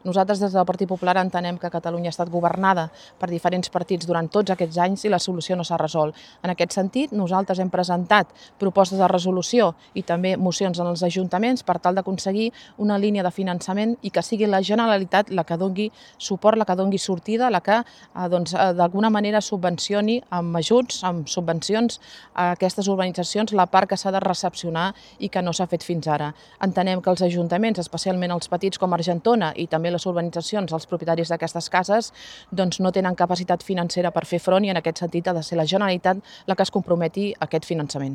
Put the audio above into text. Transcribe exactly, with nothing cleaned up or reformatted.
Nosaltres des del Partit Popular entenem que Catalunya ha estat governada per diferents partits durant tots aquests anys i la solució no s'ha resolt. En aquest sentit, nosaltres hem presentat propostes de resolució i també mocions en els ajuntaments per tal d'aconseguir una línia de finançament i que sigui la Generalitat la que doni suport, la que doni sortida, la que eh, doncs, eh, d'alguna manera subvencioni amb ajuts, amb subvencions a aquestes urbanitzacions la part que s'ha de recepcionar i que no s'ha fet fins ara. Entenem que els ajuntaments, especialment els petits com Argentona i també les urbanitzacions, els propietaris d'aquestes cases, doncs no tenen capacitat financera per fer front i en aquest sentit ha de ser la Generalitat la que es comprometi a aquest finançament.